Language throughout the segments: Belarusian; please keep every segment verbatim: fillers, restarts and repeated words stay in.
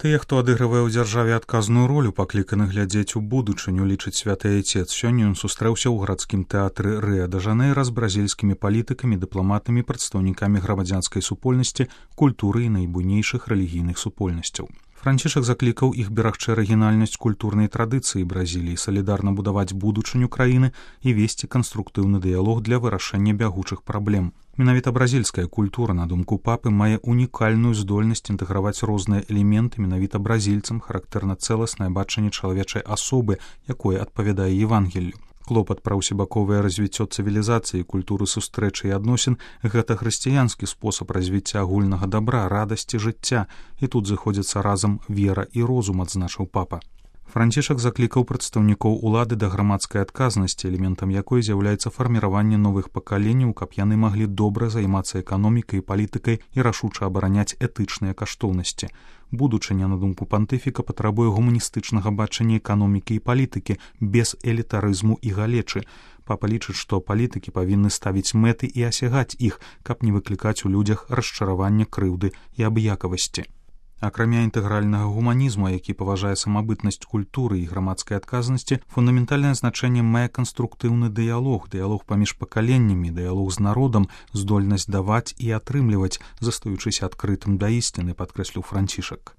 Тыя, хто адыгрывае ў дзяржаве адказную ролю, пакліканы глядзець у будучыню, лічыць святы айцец. Сёння ён сустрэўся ў гарадскім тэатры Рыа-дэ-Жанэйра з бразільскімі палітыкамі, дыпламатамі, прадстаўнікамі грамадзянскай супольнасці, культуры і найбуйнейшых рэлігійных супольнасцяў. Францішак заклікаў іх берагчы арыгінальнасць культурнай традыцыі Бразіліі, салідарна будаваць будучыню краіны і весці канструктыўны дыялог для вырашэння бягучых праблем. Менавіта бразільская культура, на думку папы, мае унікальную здольнасць інтэграваць розныя элементы. Менавіта бразільцам характэрна цэласнае бачанне чалавечай асобы, якое адпавядае Евангеллю. Клопат пра ўсебаковае развіццё цывілізацыі, культуры сустрэчы і адносін – гэта хрысціянскі спосаб развіцця агульнага дабра, радасці жыцця. І тут зыходзяцца разам вера і розум, адзначыў папа. Францішак заклікаў прадстаўнікоў улады да грамадскай адказнасці, элементам якой з'яўляецца фарміраванне новых пакаленняў, каб яны маглі добра займацца эканомікай і палітыкай і рашуча абараняць этычныя каштоўнасці. Будучыня, на думку пантыфіка, патрабуе гуманістычнага бачання эканомікі і палітыкі, без элітарызму і галечы. Папа лічыць, што палітыкі павінны ставіць мэты і асягаць іх, каб не выклікаць у людзях расчаравання, крыўды і абыякавасці. Акрамя інтэгральнага гуманізму, які паважае самабытнасць культуры і грамадскай адказнасці, фундаментальнае значэнне мае канструктыўны дыялог, дыялог паміж пакаленнямі, дыялог з народам, здольнасць даваць і атрымліваць, застаючыся адкрытым да ісціны, падкрэсліў Францішак.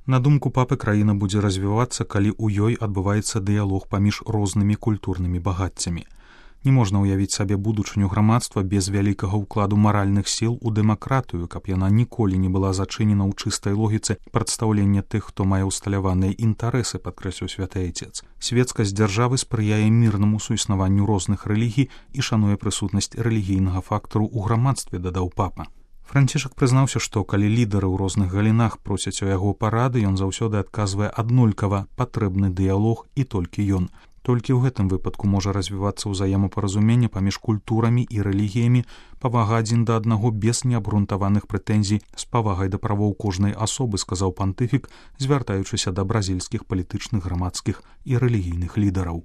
На думку папы, краіна будзе развівацца, калі ў ёй адбываецца дыялог паміж рознымі культурнымі багаццямі. Не можна ўявіць сабе будучыню грамадства без вялікага ўкладу маральных сіл у дэмакратыю, каб яна ніколі не была зачынена ў чыстай логіцы прадстаўлення тых, хто мае ўсталяваныя інтарэсы, падкрэсліў святы айцец. Светскасць дзяржавы спрыяе мірнаму суіснаванню розных рэлігій і шануе прысутнасць рэлігійнага фактару ў грамадстве, дадаў папа. Францішак прызнаўся, што калі лідары ў розных галінах просяць у яго парады, ён заўсёды адказвае аднолькава: патрэбны дыялог і толькі ён. Толькі ў гэтым выпадку можа развівацца ўзаемапаразуменне паміж культурамі і рэлігіямі, павага адзін да аднаго без неабрунтаваных прэтэнзій, з павагай да правоў кожнай асобы, сказаў пантыфік, звяртаючыся да бразільскіх палітычных, грамадскіх і рэлігійных лідараў.